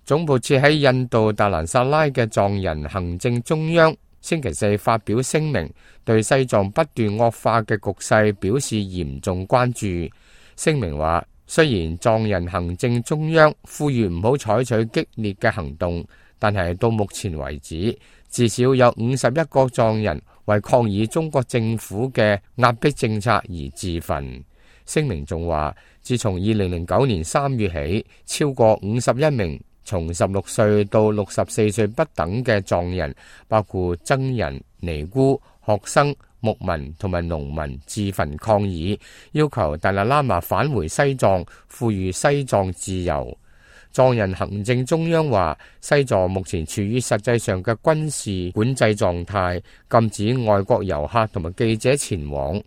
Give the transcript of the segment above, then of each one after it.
總部設喺印度達蘭薩拉嘅藏人行政中央星期四發表聲明，對西藏不斷惡化嘅局勢表示嚴重關注。聲明話，雖然藏人行政中央呼籲唔好採取激烈嘅行動，但係到目前為止，至少有51個藏人為抗議中國政府嘅壓迫政策而自焚。聲明仲話，自從2009年3月起，超過51名從16歲到64歲不等嘅藏人，包括僧人、尼姑、學生、牧民同埋農民自焚抗議，要求達賴喇嘛返回西藏，呼籲西藏自由。藏人行政中央話，西藏目前處於實際上嘅軍事管制狀態，禁止外國遊客同埋記者前往。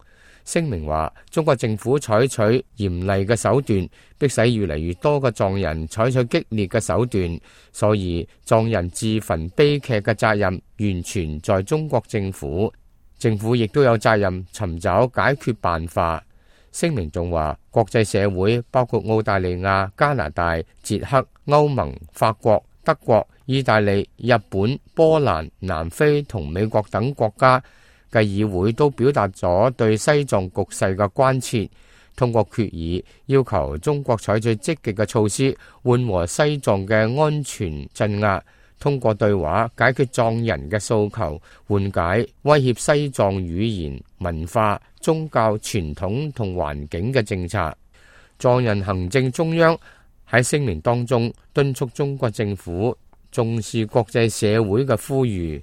聲明話，中國政府採取嚴厲嘅手段，迫使越嚟越多嘅藏人採取激烈嘅手段，所以藏人自焚悲劇嘅責任完全在中國政府。政府亦都有責任尋找解決辦法。聲明仲話，國際社會包括澳大利亞、加拿大、捷克、歐盟、法國、德國、意大利、日本、波蘭、南非同美國等國家嘅議會都表達咗對西藏局勢嘅關切，通過決議要求中國採取積極嘅措施緩和西藏嘅安全鎮壓，通過對話解決藏人嘅訴求，緩解威脅西藏語言、文化、宗教、傳統同環境嘅政策。藏人行政中央喺聲明當中敦促中國政府重視國際社會嘅呼籲。